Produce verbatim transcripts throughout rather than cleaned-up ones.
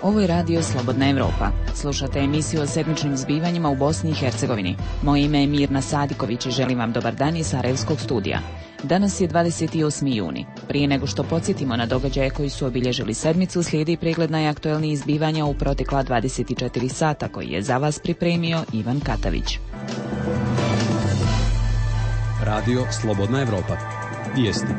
Ovo je radio Slobodna Evropa. Slušate emisiju o sedmičnim zbivanjima u Bosni i Hercegovini. Moje ime je Mirna Sadiković i želim vam dobar dan iz Sarajevskog studija. Danas je dvadeset osmi juni. Prije nego što podsjetimo na događaje koji su obilježili sedmicu, slijedi pregled najaktuelnijih zbivanja u protekla dvadeset četiri sata koji je za vas pripremio Ivan Katavić. Radio Slobodna Evropa. Vijesti.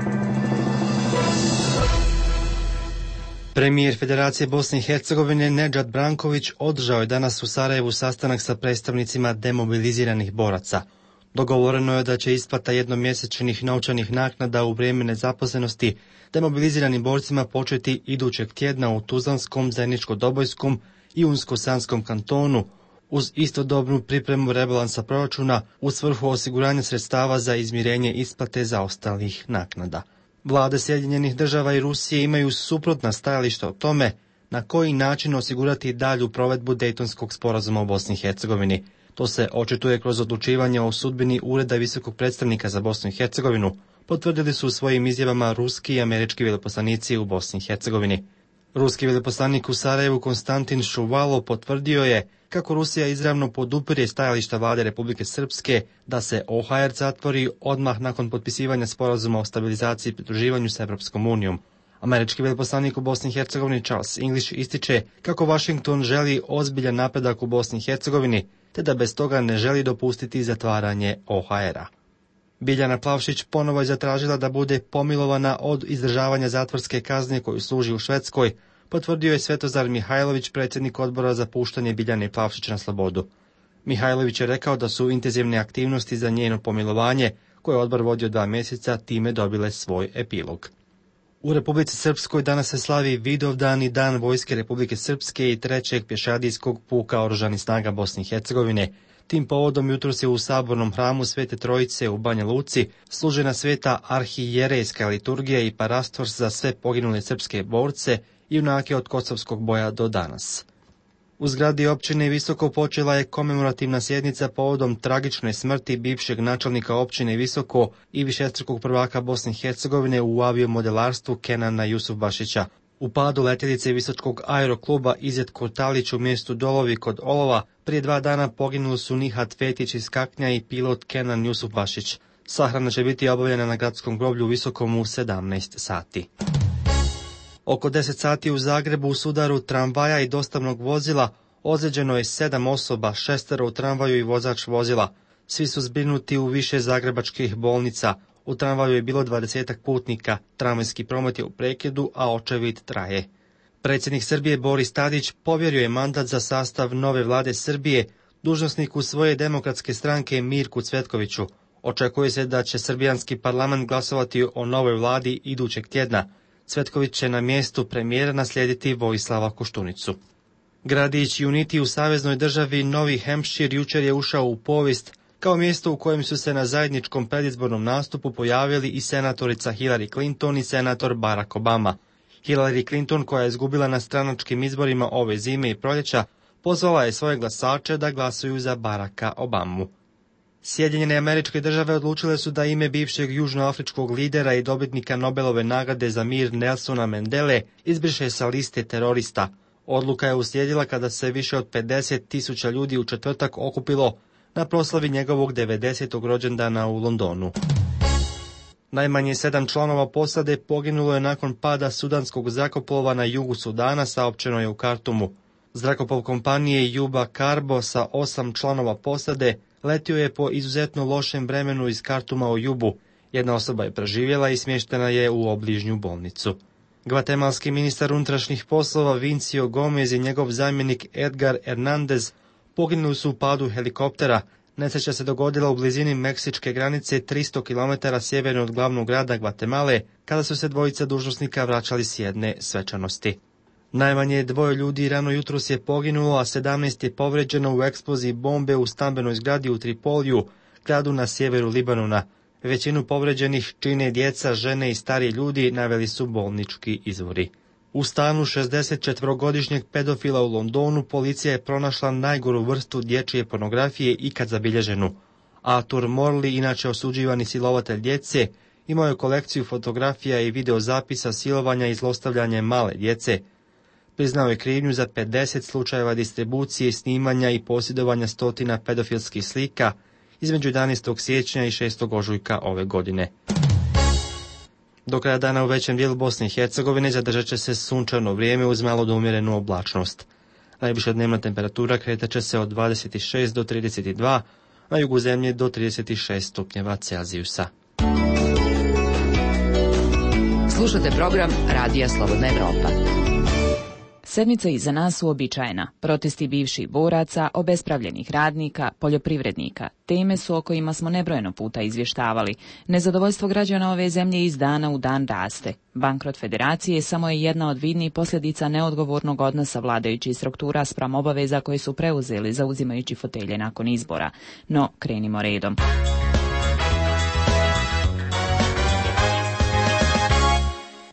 Premijer Federacije Bosne i Hercegovine Nedžad Branković održao je danas u Sarajevu sastanak sa predstavnicima demobiliziranih boraca. Dogovoreno je da će isplata jednomjesečnih novčanih naknada u vrijeme nezaposlenosti demobiliziranim borcima početi idućeg tjedna u Tuzlanskom, Zeničko-Dobojskom i Unsko-Sanskom kantonu, uz istodobnu pripremu rebalansa proračuna u svrhu osiguranja sredstava za izmirenje isplate zaostalih naknada. Vlade Sjedinjenih država i Rusije imaju suprotna stajališta o tome na koji način osigurati dalju provedbu Dejtonskog sporazuma u Bosni i Hercegovini. To se očituje kroz odlučivanje o sudbini Ureda visokog predstavnika za Bosnu i Hercegovinu, potvrdili su u svojim izjavama ruski i američki veleposlanici u Bosni i Hercegovini. Ruski veleposlanik u Sarajevu Konstantin Šuvalo potvrdio je kako Rusija izravno podupire stajališta vlade Republike Srpske da se O H R zatvori odmah nakon potpisivanja sporazuma o stabilizaciji i pridruživanju s Evropskom unijom. Američki veleposlanik u Bosni i Hercegovini Charles English ističe kako Washington želi ozbiljan napredak u Bosni i Hercegovini, te da bez toga ne želi dopustiti zatvaranje O H R-a. Biljana Plavšić ponovo je zatražila da bude pomilovana od izdržavanja zatvorske kazne koju služi u Švedskoj, potvrdio je Svetozar Mihajlović, predsjednik odbora za puštanje Biljane Plavšić na slobodu. Mihajlović je rekao da su intenzivne aktivnosti za njeno pomilovanje, koje je odbor vodio dva mjeseca, time dobile svoj epilog. U Republici Srpskoj danas se slavi Vidovdan i Dan Vojske Republike Srpske i trećeg pješadijskog puka Oružanih snaga Bosne i Hercegovine. Tim povodom jutros je u Sabornom hramu Svete Trojice u Banja Luci služena sveta arhijerejska liturgija i parastors za sve poginule srpske borce i junake od Kosovskog boja do danas. U zgradi općine Visoko počela je komemorativna sjednica povodom tragične smrti bivšeg načelnika općine Visoko i višestrukog prvaka Bosne i Hercegovine u aviomodelarstvu Kenana Jusufbašića. U padu letjelice Visočkog aerokluba Izet Kurtalić u mjestu Dolovi kod Olova prije dva dana poginuli su Nihat Fetić iz Kaknja i pilot Kenan Jusufbašić. Sahrana će biti obavljena na gradskom groblju u Visokom u sedamnaest sati. Oko deset sati u Zagrebu u sudaru tramvaja i dostavnog vozila ozlijeđeno je sedam osoba, šestero u tramvaju i vozač vozila. Svi su zbrinuti u više zagrebačkih bolnica. U tramvaju je bilo dvadesetak putnika, tramvajski promet je u prekidu, a očevid traje. Predsjednik Srbije Boris Tadić povjerio je mandat za sastav nove vlade Srbije dužnosniku svoje demokratske stranke Mirku Cvetkoviću. Očekuje se da će srbijanski parlament glasovati o novoj vladi idućeg tjedna. Cvetković će na mjestu premijera naslijediti Vojislava Koštunicu. Gradić Unity u saveznoj državi Novi Hampshire jučer je ušao u povijest kao mjesto u kojem su se na zajedničkom predizbornom nastupu pojavili i senatorica Hillary Clinton i senator Barack Obama. Hillary Clinton, koja je izgubila na stranačkim izborima ove zime i proljeća, pozvala je svoje glasače da glasuju za Baracka Obamu. Sjedinjene Američke Države odlučile su da ime bivšeg južnoafričkog lidera i dobitnika Nobelove nagrade za mir Nelsona Mandele izbriše sa liste terorista. Odluka je uslijedila kada se više od pedeset tisuća ljudi u četvrtak okupilo na proslavi njegovog devedesetog rođendana u Londonu. Najmanje sedam članova posade poginulo je nakon pada sudanskog zrakoplova na jugu Sudana, saopćeno je u Kartumu. Zrakoplov kompanije Juba Carbo sa osam članova posade letio je po izuzetno lošem vremenu iz Kartuma u Jubu. Jedna osoba je preživjela i smještena je u obližnju bolnicu. Gvatemalski ministar unutrašnjih poslova Vincio Gomez i njegov zamjenik Edgar Hernandez poginuli su u padu helikoptera. Nesreća se dogodila u blizini meksičke granice tristo kilometara sjeverno od glavnog grada Gvatemale, kada su se dvojica dužnosnika vraćali s jedne svečanosti. Najmanje dvoje ljudi rano jutros je poginulo, a sedamnaest je povređeno u eksploziji bombe u stambenoj zgradi u Tripoliju, gradu na sjeveru Libanona. Većinu povređenih čine djeca, žene i stariji ljudi, naveli su bolnički izvori. U stanu šezdesetčetvorogodišnjeg pedofila u Londonu policija je pronašla najgoru vrstu dječje pornografije ikad zabilježenu. Arthur Morley, inače osuđivani silovatelj djece, imao je kolekciju fotografija i videozapisa silovanja i zlostavljanja male djece. Priznao je krivnju za pedeset slučajeva distribucije, snimanja i posjedovanja stotina pedofilskih slika između jedanaestog siječnja i šestog ožujka ove godine. Do kraja dana u većem dijelu Bosne i Hercegovine zadržat će se sunčano vrijeme uz malo do umjerenu oblačnost. Najviša dnevna temperatura kretat će se od dvadeset šest do trideset dva, na jugu zemlje do trideset šest stupnjeva Celzijusa. Slušate program Radija Slobodna Evropa. Sedmica iza nas uobičajena. Protesti bivših boraca, obespravljenih radnika, poljoprivrednika. Teme su o kojima smo nebrojeno puta izvještavali. Nezadovoljstvo građana ove zemlje iz dana u dan raste. Bankrot federacije samo je jedna od vidnih posljedica neodgovornog odnosa vladajućih struktura spram obaveza koje su preuzeli zauzimajući fotelje nakon izbora. No, krenimo redom.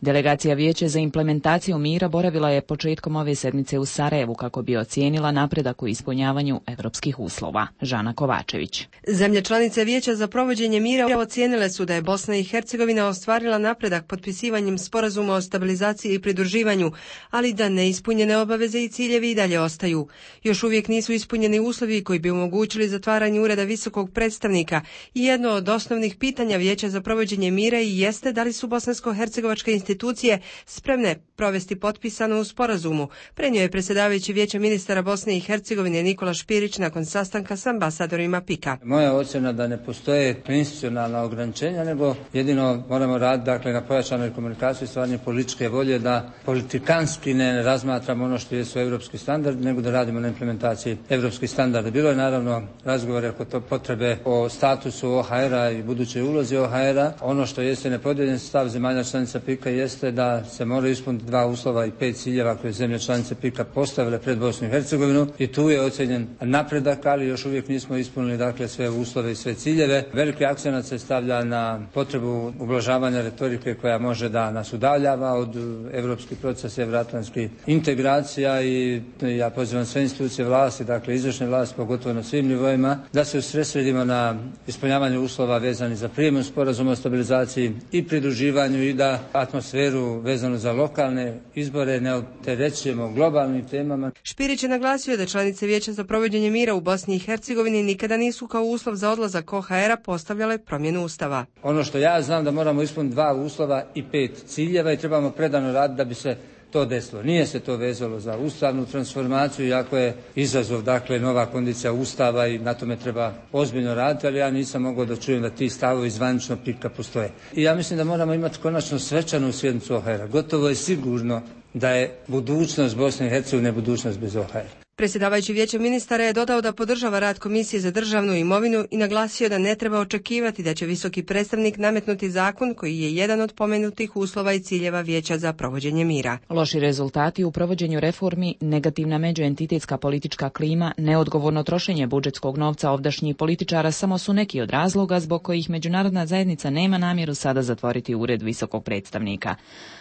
Delegacija Vijeća za implementaciju mira boravila je početkom ove sedmice u Sarajevu kako bi ocijenila napredak u ispunjavanju evropskih uslova. Žana Kovačević. Zemlje članice Vijeća za provođenje mira ocijenile su da je Bosna i Hercegovina ostvarila napredak potpisivanjem sporazuma o stabilizaciji i pridruživanju, ali da neispunjene obaveze i ciljevi i dalje ostaju. Još uvijek nisu ispunjeni uslovi koji bi omogućili zatvaranje ureda visokog predstavnika i jedno od osnovnih pitanja Vijeća za provođenje mira i jeste da li su bosansko-hercegovačke institucije institucije spremne provesti potpisano u sporazumu, prenio je predsjedavajući Vijeća ministara Bosne i Hercegovine Nikola Špirić nakon sastanka s ambasadorima PIK-a. Moja ocjena da ne postoje institucionalna ograničenja, nego jedino moramo raditi dakle, na pojačanoj komunikaciji, stvaranje političke volje, da politikanski ne razmatramo ono što jesu evropski standardi, nego da radimo na implementaciji evropskih standarda. Bilo je naravno razgovore oko to potrebe o statusu O H R-a i budućoj ulozi O H R-a. Ono što jeste nepodijeljen stav zemalja članica PIK-a jeste da se moraju ispuniti dva uslova i pet ciljeva koje zemlje članice PIK-a postavile pred Bosnu i Hercegovinu i tu je ocjenjen napredak, ali još uvijek nismo ispunili dakle sve uslove i sve ciljeve. Veliki akcenat se stavlja na potrebu ublažavanja retorike koja može da nas udaljava od evropskih procesa, evroatlantskih integracija i ja pozivam sve institucije vlasti, dakle izvršne vlasti, pogotovo na svim nivoima, da se usredsredimo na ispunjavanje uslova vezani za prijem sporazuma o stabilizaciji i pridruživanju i da atmosferu vezanu za lokalne izbore ne opterećujemo globalnim temama. Špirić je naglasio da članice Vijeća za provođenje mira u Bosni i Hercegovini nikada nisu kao uslov za odlazak O H R-a postavljale promjenu ustava. Ono što ja znam da moramo ispuniti dva uslova i pet ciljeva i trebamo predano raditi da bi se to desilo. Nije se to vezalo za ustavnu transformaciju, iako je izazov, dakle, nova kondicija ustava i na tome treba ozbiljno raditi, ali ja nisam mogao da čujem da ti stavovi zvanično PIK-a postoje. I ja mislim da moramo imati konačno svečanu sjednicu O H R-a. Gotovo je sigurno da je budućnost Bosne i Hercegovine budućnost bez O H R-a. Predsjedavajući Vijeća ministara je dodao da podržava rad Komisije za državnu imovinu i naglasio da ne treba očekivati da će visoki predstavnik nametnuti zakon koji je jedan od pomenutih uslova i ciljeva Vijeća za provođenje mira. Loši rezultati u provođenju reformi, negativna međuentitetska politička klima, neodgovorno trošenje budžetskog novca ovdašnjih političara samo su neki od razloga zbog kojih međunarodna zajednica nema namjeru sada zatvoriti ured visokog predstavnika.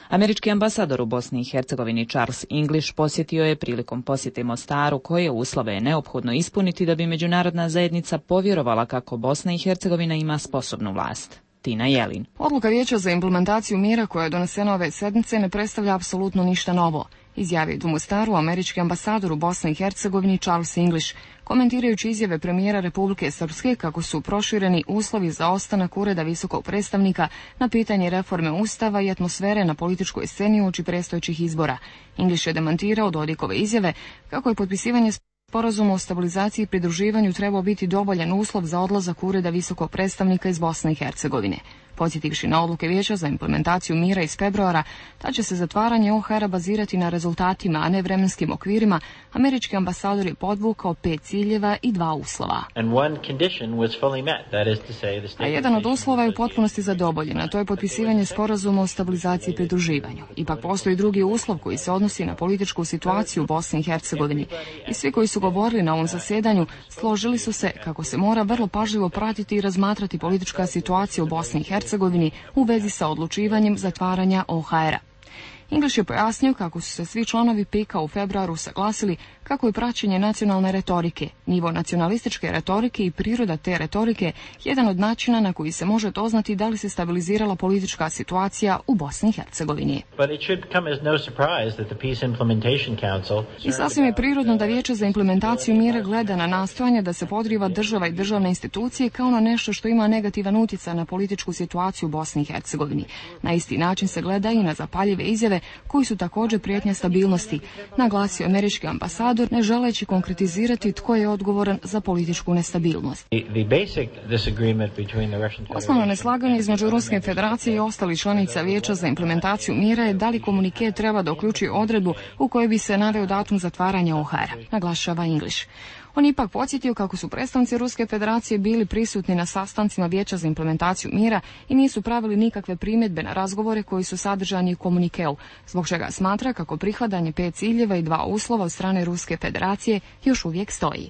Američki ambasador u Bosni i Hercegovini Charles English posjetio je prilikom posjete Mostaru koje uslove je neophodno ispuniti da bi međunarodna zajednica povjerovala kako Bosna i Hercegovina ima sposobnu vlast. Tina Jelin. Odluka Vijeća za implementaciju mira koja je donesena ove sedmice ne predstavlja apsolutno ništa novo, izjavio u Mostaru američki ambasador u Bosni i Hercegovini Charles English, komentirajući izjave premijera Republike Srpske kako su prošireni uslovi za ostanak ureda visokog predstavnika na pitanje reforme ustava i atmosfere na političkoj sceni uoči predstojećih izbora. English je demantirao Dodikove izjave kako je potpisivanje sporazuma o stabilizaciji i pridruživanju trebao biti dovoljan uslov za odlazak ureda visokog predstavnika iz Bosne i Hercegovine. Podsjetivši na odluke Vijeća za implementaciju mira iz februara, da će se zatvaranje O H R-a bazirati na rezultatima, a ne vremenskim okvirima, američki ambasador je podvukao pet ciljeva i dva uslova. A jedan od uslova je u potpunosti zadovoljen, a to je potpisivanje sporazuma o stabilizaciji i pridruživanju. Ipak postoji drugi uslov koji se odnosi na političku situaciju u Bosni i Hercegovini. I svi koji su govorili na ovom zasjedanju složili su se kako se mora vrlo pažljivo pratiti i razmatrati politička situacija u Bosni i Hercegovini u vezi sa odlučivanjem zatvaranja O H R-a. English je pojasnio kako su se svi članovi PIK-a u februaru saglasili kako je praćenje nacionalne retorike, nivo nacionalističke retorike i priroda te retorike jedan od načina na koji se može doznati da li se stabilizirala politička situacija u Bosni i Hercegovini. I sasvim je prirodno da Vijeće za implementaciju mira gleda na nastojanje da se podriva država i državne institucije kao na nešto što ima negativan utjecaj na političku situaciju u Bosni i Hercegovini. Na isti način se gleda i na zapaljive izjave koji su također prijetnja stabilnosti, naglasio američki ambasador, ne želeći konkretizirati tko je odgovoran za političku nestabilnost. Osnovno neslaganje između Ruske federacije i ostalih članica Vijeća za implementaciju mira je da li komunike treba da uključuje odredbu u kojoj bi se naveo datum zatvaranja O H R-a, naglašava English. On ipak podsjetio kako su predstavnici Ruske federacije bili prisutni na sastancima Vijeća za implementaciju mira i nisu pravili nikakve primjedbe na razgovore koji su sadržani u komunikeu, zbog čega smatra kako prihvatanje pet ciljeva i dva uslova od strane Ruske federacije još uvijek stoji.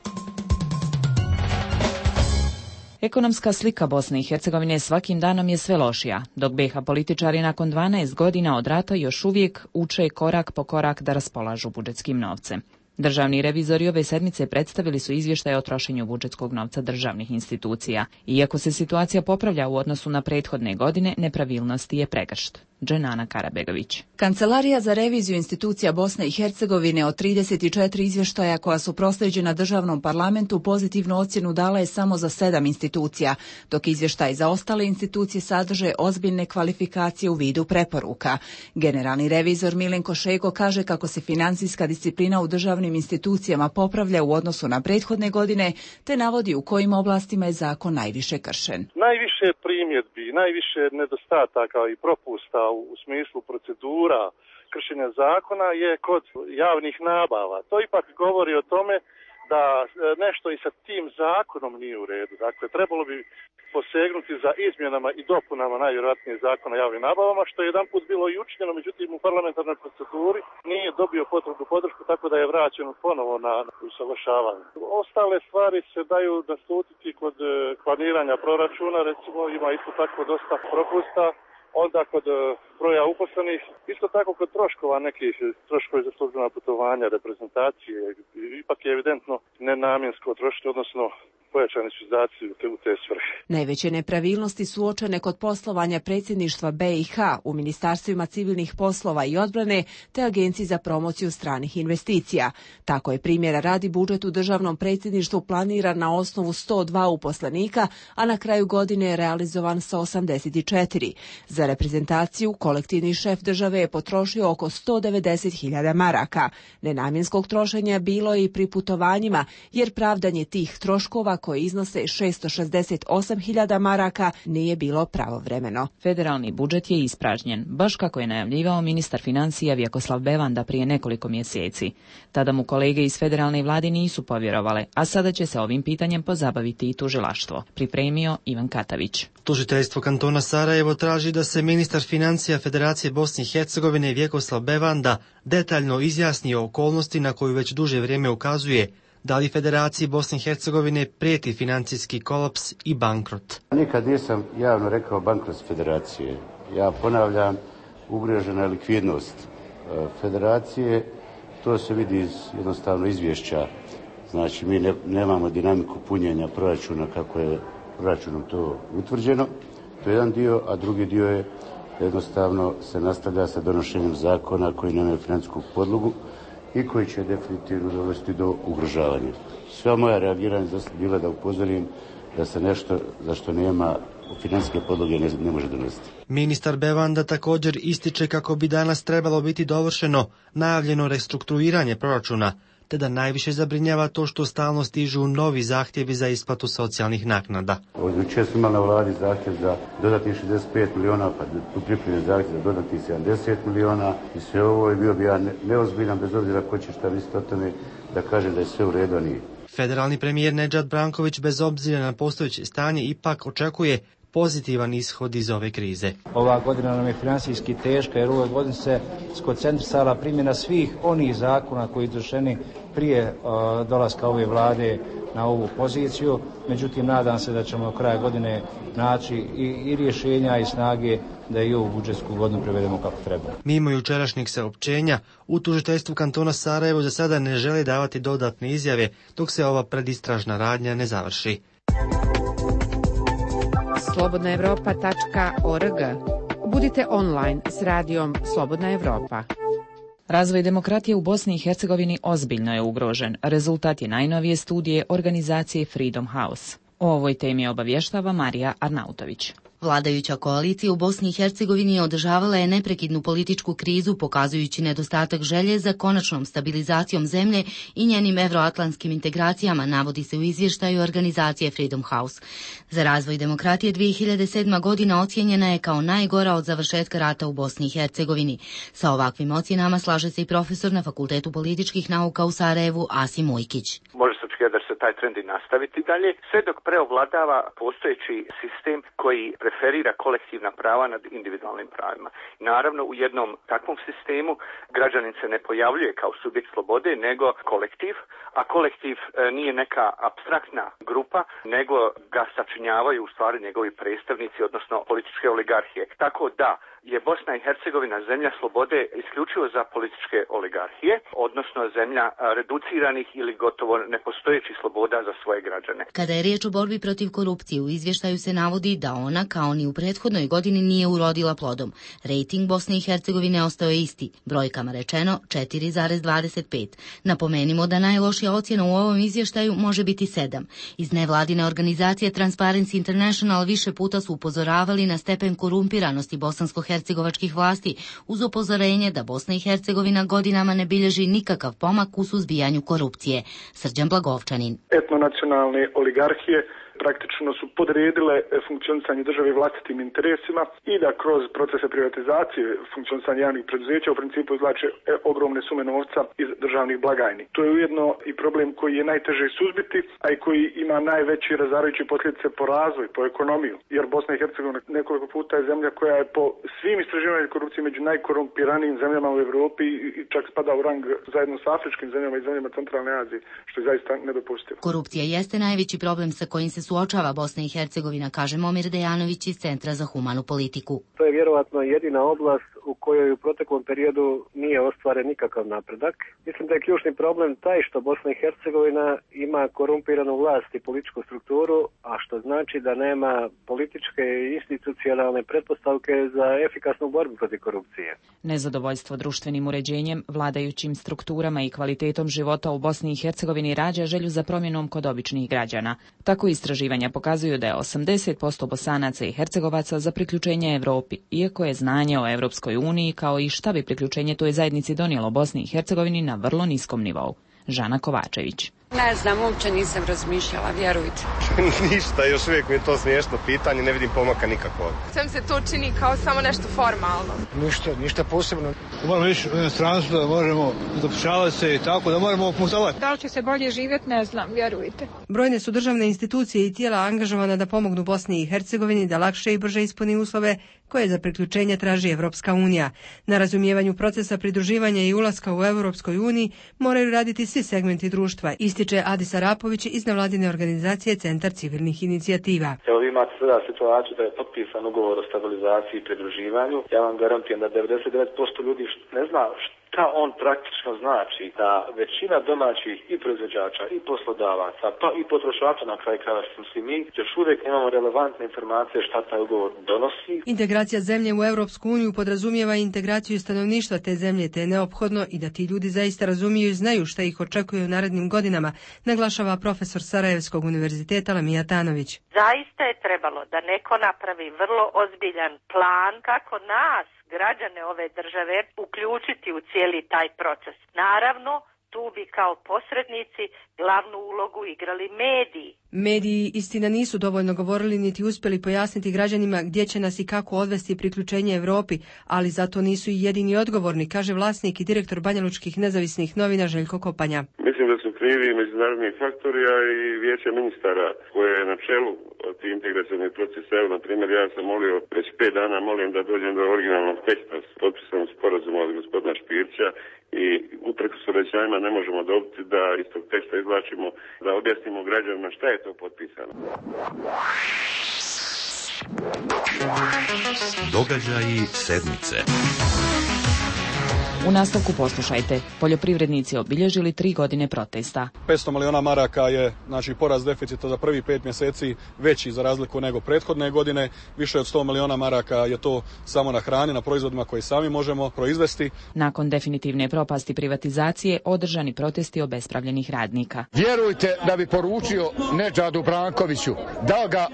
Ekonomska slika Bosne i Hercegovine svakim danom je sve lošija, dok B H političari nakon dvanaest godina od rata još uvijek uče korak po korak da raspolažu budžetskim novcem. Državni revizori ove sedmice predstavili su izvještaje o trošenju budžetskog novca državnih institucija. Iako se situacija popravlja u odnosu na prethodne godine, nepravilnosti je pregršt. Dženana Karabegović. Kancelarija za reviziju institucija Bosne i Hercegovine od trideset četiri izvještaja koja su proslijeđena državnom parlamentu pozitivnu ocjenu dala je samo za sedam institucija, dok izvještaj za ostale institucije sadrže ozbiljne kvalifikacije u vidu preporuka. Generalni revizor Milenko Šego kaže kako se financijska disciplina u državnim institucijama popravlja u odnosu na prethodne godine, te navodi u kojim oblastima je zakon najviše kršen. Najviše primjedbi, najviše nedostataka i propusta u smislu procedura kršenja zakona je kod javnih nabava. To ipak govori o tome da nešto i sa tim zakonom nije u redu. Dakle, trebalo bi posegnuti za izmjenama i dopunama najvjerojatnije zakona o javnim nabavama, što je jedan put bilo i učinjeno, međutim u parlamentarnoj proceduri nije dobio potrebnu podršku, tako da je vraćen ponovo na usaglašavanje. Ostale stvari se daju naslutiti kod planiranja proračuna, recimo ima isto tako dosta propusta. Onda kod broja uposlenih, isto tako kod troškova nekih troškovi za službena putovanja, reprezentacije, ipak je evidentno nenamjensko trošiti, odnosno pojačani su izdaci u te svrhe. Najveće nepravilnosti su uočene kod poslovanja predsjedništva B i H u ministarstvima civilnih poslova i odbrane te Agenciji za promociju stranih investicija. Tako je primjera radi budžet u državnom predsjedništvu planiran na osnovu sto dva uposlenika, a na kraju godine je realizovan sa osamdeset četiri. Za reprezentaciju kolektivni šef države je potrošio oko sto devedeset hiljada maraka. Nenamjenskog trošenja bilo je i pri putovanjima, jer pravdanje tih troškova koje iznose šesto šezdeset osam hiljada maraka nije bilo pravovremeno. Federalni budžet je ispražnjen, baš kako je najavljivao ministar financija Vjekoslav Bevanda prije nekoliko mjeseci. Tada mu kolege iz federalne vlade nisu povjerovale, a sada će se ovim pitanjem pozabaviti i tužilaštvo, pripremio Ivan Katavić. Tužiteljstvo kantona Sarajevo traži da se ministar financija Federacije Bosne i Hercegovine Vjekoslav Bevanda detaljno izjasni o okolnosti na koju već duže vrijeme ukazuje da li Federaciji Bosne i Hercegovine prijeti financijski kolaps i bankrot. Nikad nisam javno rekao bankrot Federacije. Ja ponavljam, ugrožena je likvidnost Federacije. To se vidi iz jednostavno izvješća. Znači, mi ne, nemamo dinamiku punjenja proračuna kako je proračunom to utvrđeno. To je jedan dio, a drugi dio je jednostavno se nastavlja sa donošenjem zakona koji nemaju financijsku podlogu i koji će definitivno dovesti do ugrožavanja. Sva moja reagiranja bila da upozorim da se nešto za što nema financijske podloge ne, ne može donositi. Ministar Bevanda također ističe kako bi danas trebalo biti dovršeno najavljeno restrukturiranje proračuna, te da najviše zabrinjava to što stalno stižu novi zahtjevi za isplatu socijalnih naknada. Jučer smo imali na vladi zahtjev za dodatnih šezdeset pet miliona, pa tu pripremljen zahtjev za dodatnih sedamdeset miliona i sve ovo je bio bi ja neozbiljan, bez obzira ko će šta misliti o tome, da kaže da je sve u redu, a nije. Federalni premijer Nedžad Branković bez obzira na postojeće stanje ipak očekuje pozitivan ishod iz ove krize. Ova godina nam je financijski teška jer u ovoj godini se skoncentrisala primjena svih onih zakona koji su izvršeni prije uh, dolaska ove vlade na ovu poziciju, međutim nadam se da ćemo do kraja godine naći i, i rješenja i snage da i ovu budžetsku godinu prevedemo kako treba. Mimo jučerašnjeg saopćenja, u tužiteljstvu kantona Sarajevo za sada ne želi davati dodatne izjave dok se ova predistražna radnja ne završi. slobodna evropa tačka org. Budite online s radijom Slobodna Evropa. Razvoj demokratije u Bosni i Hercegovini ozbiljno je ugrožen. Rezultat je najnovije studije organizacije Freedom House. O ovoj temi obavještava Marija Arnautović. Vladajuća koalicija u Bosni i Hercegovini održavala je neprekidnu političku krizu, pokazujući nedostatak želje za konačnom stabilizacijom zemlje i njenim evroatlantskim integracijama, navodi se u izvještaju organizacije Freedom House. Za razvoj demokratije dvije hiljade sedma. godina ocijenjena je kao najgora od završetka rata u Bosni i Hercegovini. Sa ovakvim ocjenama slaže se i profesor na Fakultetu političkih nauka u Sarajevu Asim Ujkić. Može se očekivati da će se taj trend i nastaviti dalje, sve dok preovladava postojeći sistem koji preferira kolektivna prava nad individualnim pravima. Naravno, u jednom takvom sistemu građanin se ne pojavljuje kao subjekt slobode, nego kolektiv, a kolektiv nije neka apstraktna grupa, nego ga sačinjavaju u stvari njegovi predstavnici, odnosno političke oligarhije. Tako da je Bosna i Hercegovina zemlja slobode isključivo za političke oligarhije, odnosno zemlja reduciranih ili gotovo nepostojećih sloboda za svoje građane. Kada je riječ o borbi protiv korupcije, u izvještaju se navodi da ona, kao ni u prethodnoj godini, nije urodila plodom. Rejting Bosne i Hercegovine ostao je isti, brojkama rečeno četiri zarez dvadeset pet. Napomenimo da najlošija ocjena u ovom izvještaju može biti sedam. Iz nevladine organizacije Transparency International više puta su upozoravali na stepen korumpiranosti bosansko-hercegovačkih vlasti, uz upozorenje da Bosna i Hercegovina godinama ne bilježi nikakav pomak u suzbijanju korupcije. Srđan Blagovčanin. Etnonacionalne oligarhije praktično su podredile funkcionisanje države vlastitim interesima i da kroz procese privatizacije funkcionisanja javnih preduzeća u principu izvlače ogromne sume novca iz državnih blagajni. To je ujedno i problem koji je najteže suzbiti, a i koji ima najveće razarajuće posljedice po razvoj, po ekonomiju. Jer Bosna i Hercegovina nekoliko puta je zemlja koja je po svim istraživanjima korupcije među najkorumpiranijim zemljama u Europi i čak spada u rang zajedno s afričkim zemljama i zemljama centralne Azije, što je zaista nedopustivo. Korupcija jeste najveći problem sa kojim se suočava Bosna i Hercegovina, kaže Momir Dejanović iz Centra za humanu politiku. To je vjerovatno jedina oblast u kojoj u proteklom periodu nije ostvaren nikakav napredak. Mislim da je ključni problem taj što Bosna i Hercegovina ima korumpiranu vlast i političku strukturu, a što znači da nema političke i institucionalne pretpostavke za efikasnu borbu protiv korupcije. Nezadovoljstvo društvenim uređenjem, vladajućim strukturama i kvalitetom života u Bosni i Hercegovini rađa želju za promjenom kod običnih građana. Tako istraživanja pokazuju da je osamdeset posto Bosanaca i Hercegovaca za priključenje Europi, iako je znanje o Europskoj uniji kao i šta bi priključenje toj zajednici donijelo Bosni i Hercegovini na vrlo niskom nivou. Žana Kovačević. Ne znam, uopće nisam razmišljala, vjerujte. Ništa, još uvijek mi je to smiješno pitanje, ne vidim pomaka nikakvog. Sam se to čini kao samo nešto formalno. Ništa, ništa posebno. Moramo ići u inostranstvo da možemo zapošljavati se i tako, da moramo putovati. Da li će se bolje živjeti, ne znam, vjerujte. Brojne su državne institucije i tijela angažovana da pomognu Bosni i Hercegovini da lakše i brže ispuni uslove koje za priključenje traži Evropska unija. Na razumijevanju procesa pridruživanja i ulaska u Evropskoj uniji moraju raditi svi segmenti društva, ističe Adis Arapović iz nevladine organizacije Centar civilnih inicijativa. Evo vi imate sada situaciju da je potpisan ugovor o stabilizaciji i pridruživanju. Ja vam garantujem da devedeset devet posto ljudi ne zna šta on praktično znači, da većina domaćih i proizvođača i poslodavaca, pa i potrošača na kraju krajeva što svi mi, još uvijek imamo relevantne informacije šta taj ugovor donosi. Integracija zemlje u Europsku uniju podrazumijeva integraciju stanovništva te zemlje, te je neophodno i da ti ljudi zaista razumiju i znaju šta ih očekuje u narednim godinama, naglašava profesor Sarajevskog univerziteta Lamija Tanović. Zaista je trebalo da neko napravi vrlo ozbiljan plan kako nas, građane ove države, uključiti u cijeli taj proces. Naravno, tu bi kao posrednici glavnu ulogu igrali mediji. Mediji, istina, nisu dovoljno govorili niti uspjeli pojasniti građanima gdje će nas i kako odvesti priključenje Europi, ali zato nisu i jedini odgovorni, kaže vlasnik i direktor banjalučkih nezavisnih novina Željko Kopanja. Mislim Mislim da su krivi međunarodni faktori, a i vijeće ministara koje je na čelu ti integracioni proces. Evo, na primjer, ja sam molio, već pet dana molim da dođem do originalnog teksta s potpisanog sporazuma od gospodina Špirća i uprkos obećanjima ne možemo dobiti da iz tog teksta izvlačimo, da objasnimo građanima šta je to potpisano. Događaji sedmice. U nastavku poslušajte. Poljoprivrednici obilježili tri godine protesta. petsto milijuna maraka je znači porast deficita za prvi pet mjeseci veći za razliku nego prethodne godine. Više od sto milijuna maraka je to samo na hrani, na proizvodima koje sami možemo proizvesti. Nakon definitivne propasti privatizacije održani protesti obespravljenih radnika. Vjerujte da bi poručio Nedžadu Brankoviću da ga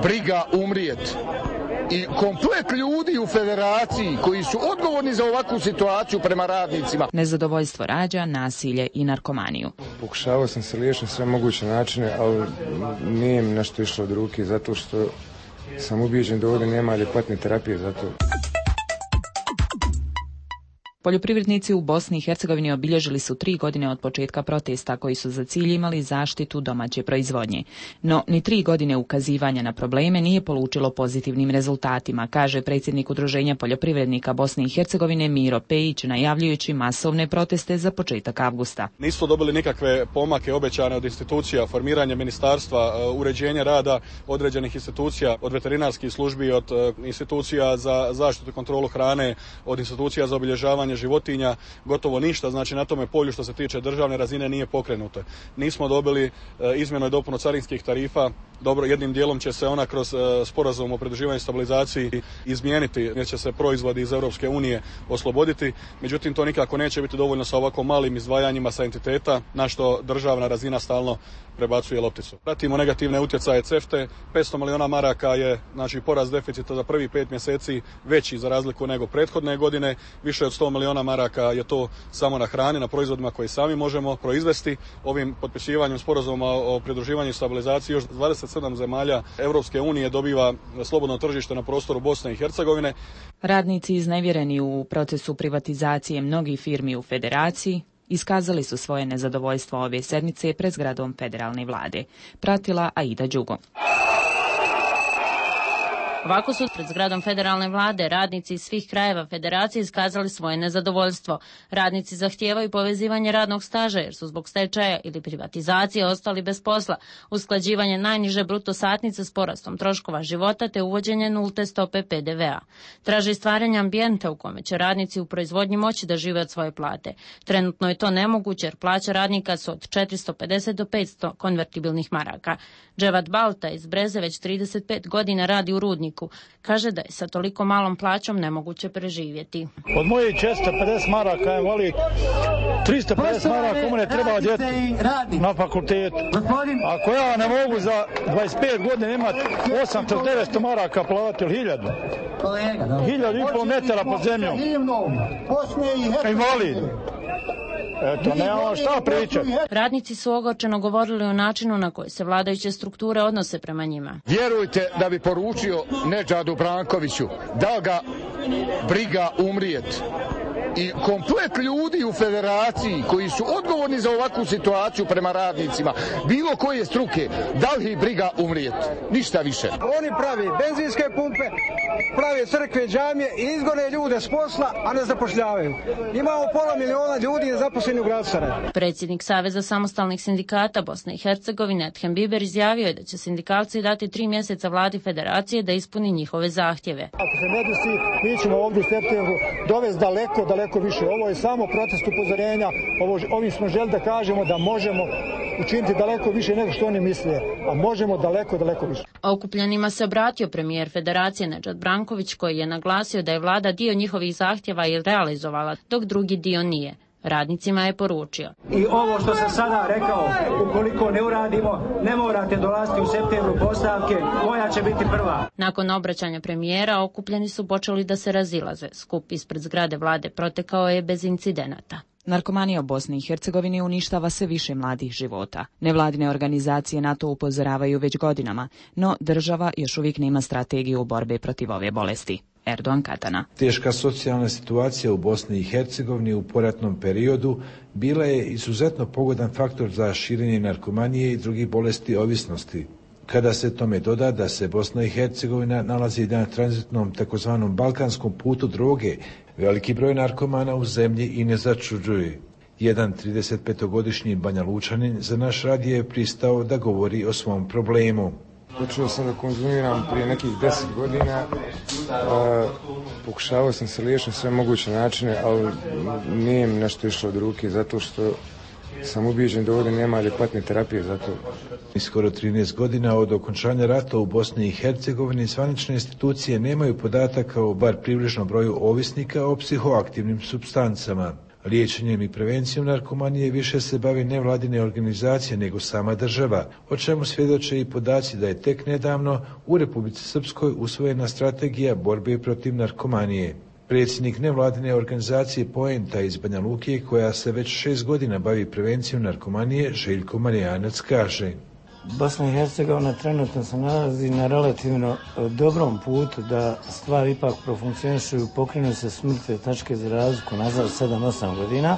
briga umrijet. I komplet ljudi u federaciji koji su odgovorni za ovakvu situaciju prema radnicima. Nezadovoljstvo rađa, nasilje i narkomaniju. Pokušavao sam se liječiti na sve moguće načine, ali nije mi nešto išlo od ruke zato što sam ubijeđen da ovdje nema adekvatne terapije za to. Poljoprivrednici u Bosni i Hercegovini obilježili su tri godine od početka protesta koji su za cilj imali zaštitu domaće proizvodnje. No, ni tri godine ukazivanja na probleme nije polučilo pozitivnim rezultatima, kaže predsjednik Udruženja poljoprivrednika Bosne i Hercegovine Miro Pejić, najavljujući masovne proteste za početak avgusta. Nismo dobili nikakve pomake obećane od institucija, formiranje ministarstva, uređenje rada određenih institucija, od veterinarskih službi, od institucija za zaštitu i kontrolu hrane, od institucija za obilježavanje životinja, gotovo ništa, znači na tome polju što se tiče državne razine nije pokrenuto. Nismo dobili e, izmjenu i dopunu carinskih tarifa, dobro, jednim dijelom će se ona kroz e, sporazum o pridruživanju i stabilizaciji izmijeniti, jer će se proizvodi iz Europske unije osloboditi, međutim to nikako neće biti dovoljno sa ovako malim izdvajanjima sa entiteta, na što državna razina stalno prebacuje lopticu. Pratimo negativne utjecaje CEFTA-e, petsto milijuna maraka je znači porast deficita za prvi pet mjeseci veći za razliku nego prethodne godine, više od sto milijuna maraka je to samo na hrani, na proizvodima koje sami možemo proizvesti. Ovim potpisivanjem sporazuma o pridruživanju i stabilizaciji još dvadeset sedam zemalja Europske unije dobiva slobodno tržište na prostoru Bosne i Hercegovine. Radnici iznevjereni u procesu privatizacije mnogih firmi u federaciji iskazali su svoje nezadovoljstvo ove sedmice pred zgradom federalne vlade. Pratila Aida Đugo. Ovako su pred zgradom federalne vlade radnici iz svih krajeva federacije iskazali svoje nezadovoljstvo. Radnici zahtijevaju povezivanje radnog staža jer su zbog stečaja ili privatizacije ostali bez posla, usklađivanje najniže bruto satnice s porastom troškova života te uvođenje nulte stope P D V-a. Traže stvaranje ambijenta u kome će radnici u proizvodnji moći da žive od svoje plate. Trenutno je to nemoguće jer plaća radnika su od četiristo pedeset do petsto konvertibilnih maraka. Dževat Balta iz Breze već trideset pet godina radi u rudniku. Kaže da je sa toliko malom plaćom nemoguće preživjeti. Od mojih četiristo pedeset maraka je voli tristo pedeset maraka komu ne treba djeti na fakultetu. Ako ja ne mogu za dvadeset pet godina imati osamsto do devetsto maraka platiti ili hiljadu. Hiljadu i pol metara pod zemljom. Invalid. Eto, nemamo šta pričati. Radnici su ogorčeno govorili o načinu na koji se vladajuće strukture odnose prema njima. Vjerujte da bi poručio Nedžadu Brankoviću da ga briga umrijet. I komplet ljudi u federaciji koji su odgovorni za ovakvu situaciju prema radnicima, bilo koje struke, da li ih briga umrijet? Ništa više. Oni pravi benzinske pumpe, pravi crkve, džamije i izgone ljude s posla, a ne zapošljavaju. Imamo pola miliona ljudi nezaposleni u gradu Sarajevu. Predsjednik Saveza samostalnih sindikata Bosne i Hercegovine Ethem Biber izjavio je da će sindikalci dati tri mjeseca vladi federacije da ispuni njihove zahtjeve. Ako se ne desi, mi ćemo ovdje u septembru dovesti daleko, daleko više. Ovo je samo protest upozorenja. Ovo, ovim smo želi da kažemo da možemo učiniti daleko više nego što oni misle, a možemo daleko, daleko više. Okupljenima se obratio premijer federacije Nedžad Branković koji je naglasio da je vlada dio njihovih zahtjeva i realizovala, dok drugi dio nije. Radnicima je poručio. I ovo što sam sada rekao, ukoliko ne uradimo, ne morate dolaziti u septembru postavke, moja će biti prva. Nakon obraćanja premijera, okupljeni su počeli da se razilaze. Skup ispred zgrade vlade protekao je bez incidenata. Narkomanija u Bosni i Hercegovini uništava sve više mladih života. Nevladine organizacije na to upozoravaju već godinama, no država još uvijek nema strategiju borbe protiv ove bolesti. Erdogan Katana. Teška socijalna situacija u Bosni i Hercegovini u poratnom periodu bila je izuzetno pogodan faktor za širenje narkomanije i drugih bolesti ovisnosti. Kada se tome doda da se Bosna i Hercegovina nalazi na tranzitnom takozvanom balkanskom putu droge, veliki broj narkomana u zemlji i ne začuđuje. Jedan tridesetpetogodišnji Banja Lučanin za naš radio je pristao da govori o svom problemu. Počeo sam da konzumiram prije nekih deset godina, a, pokušavao sam se liječiti na sve moguće načine, ali nije mi nešto išlo od ruke zato što sam ubijeđen da ovdje nema adekvatne terapije za to. Skoro trinaest godina od okončanja rata u Bosni i Hercegovini zvanične institucije nemaju podataka o bar približnom broju ovisnika o psihoaktivnim supstancama. Liječenjem i prevencijom narkomanije više se bavi nevladine organizacije nego sama država, o čemu svjedoče i podaci da je tek nedavno u Republici Srpskoj usvojena strategija borbe protiv narkomanije. Predsjednik nevladine organizacije Poenta iz Banja Luke, koja se već šest godina bavi prevencijom narkomanije, Željko Marijanac kaže: Bosna i Hercegovina trenutno se nalazi na relativno dobrom putu da stvari ipak profunkcionišu, pokrenu se s mrtve tačke za razliku nazad sedam osam godina.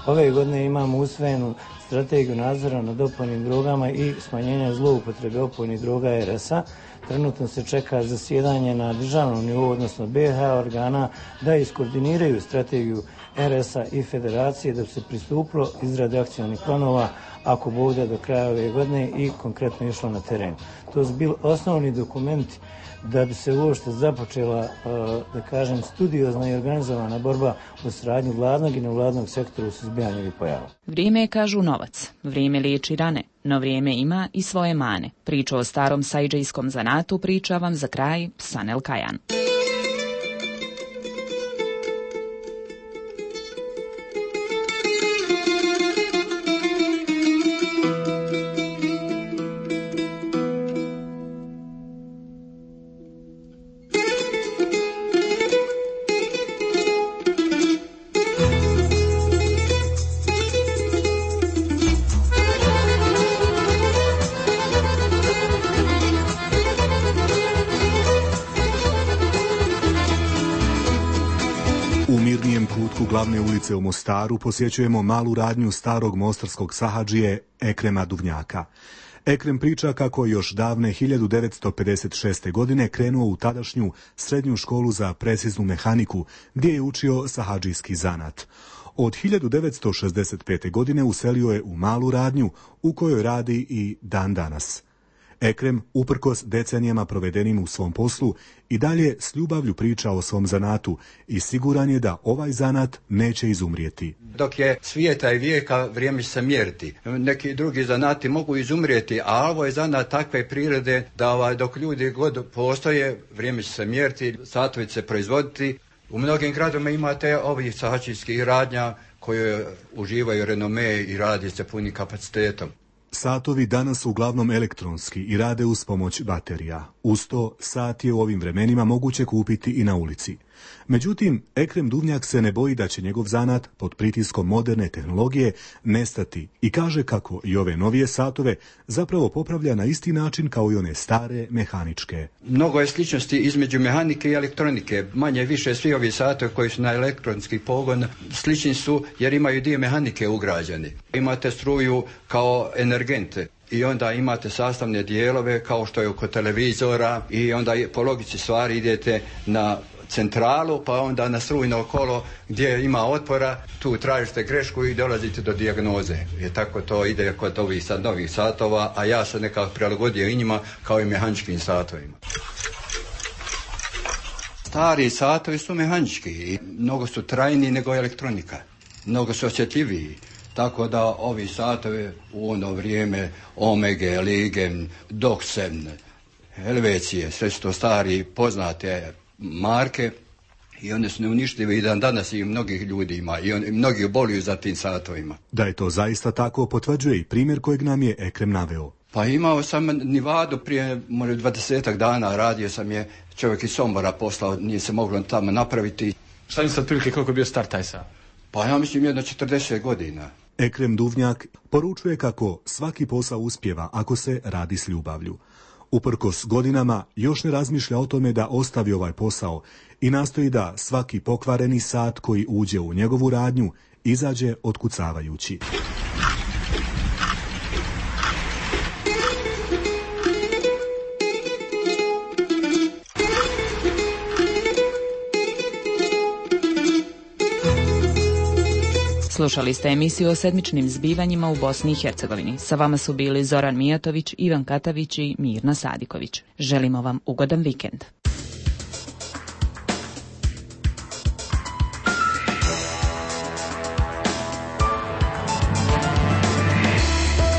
Ove godine imamo usvojenu strategiju nadzora nad opojnim drogama i smanjenja zloupotrebe opojnih droga er es a. Trenutno se čeka zasjedanje na državnom nivou, odnosno be ha organa, da iskoordiniraju strategiju er es a i federacije da bi se pristupilo izradi akcionih planova ako bude do kraja ove godine i konkretno išlo na teren. To su bili osnovni dokumenti da bi se uopšte započela, da kažem, studiozna i organizovana borba u saradnji vladnog i nevladnog sektora u suzbijanju ovih pojava. Vrijeme je, kažu, novac. Vrijeme liječi rane, no vrijeme ima i svoje mane. Priču o starom sajdžijskom zanatu priča vam za kraj Sanel Kajan. Glavne ulice u Mostaru posjećujemo malu radnju starog mostarskog sahadžije Ekrema Duvnjaka. Ekrem priča kako još davne hiljadu devetsto pedeset šeste. godine krenuo u tadašnju srednju školu za preciznu mehaniku gdje je učio sahadžijski zanat. Od hiljadu devetsto šezdeset pete. godine uselio je u malu radnju u kojoj radi i dan danas. Ekrem, uprkos decenijama provedenim u svom poslu, i dalje s ljubavlju priča o svom zanatu i siguran je da ovaj zanat neće izumrijeti. Dok je svijeta i vijeka, vrijeme će se mjeriti. Neki drugi zanati mogu izumrijeti, a ovo je zanat takve prirode da ovaj, dok ljudi god postoje, vrijeme će se mjeriti, satovi će se proizvoditi. U mnogim gradovima imate ovih sahadžijskih radnja koje uživaju renome i radi se punim kapacitetom. Satovi danas su uglavnom elektronski i rade uz pomoć baterija. Uz to, sat je u ovim vremenima moguće kupiti i na ulici. Međutim, Ekrem Duvnjak se ne boji da će njegov zanat pod pritiskom moderne tehnologije nestati i kaže kako i ove novije satove zapravo popravlja na isti način kao i one stare mehaničke. Mnogo je sličnosti između mehanike i elektronike. Manje više svi ovi satovi koji su na elektronski pogon slični su jer imaju dio mehanike ugrađeni. Imate struju kao energente. I onda imate sastavne dijelove kao što je oko televizora i onda po logici stvari idete na centralu pa onda na strujno kolo gdje ima otpora, tu tražite grešku i dolazite do dijagnoze. I tako to ide kod ovih sad novih satova, a ja sam nekako prilagodio i njima kao i mehaničkim satovima. Stari satovi su mehanički i mnogo su trajniji nego elektronika, mnogo su osjetljiviji. Tako da ovi satovi u ono vrijeme Omege, Ligen, Doxen, Helvecije, sve su to stari poznate marke i one su neuništive i dan danas i mnogih ljudi ima i, on, i mnogi oboluju za tim satovima. Da je to zaista tako potvrđuje i primjer kojeg nam je Ekrem naveo. Pa imao sam Nivadu prije možda dvadesetak dana, radio sam je, čovjek iz Sombora poslao, nije se moglo tamo napraviti. Šta mi sad prilike koliko je bio star taj sat? Pa ja mislim jedno četrdeset godina. Ekrem Duvnjak poručuje kako svaki posao uspjeva ako se radi s ljubavlju. Uprkos godinama još ne razmišlja o tome da ostavi ovaj posao i nastoji da svaki pokvareni sat koji uđe u njegovu radnju izađe otkucavajući. Slušali ste emisiju o sedmičnim zbivanjima u Bosni i Hercegovini. Sa vama su bili Zoran Mijatović, Ivan Katavić i Mirna Sadiković. Želimo vam ugodan vikend.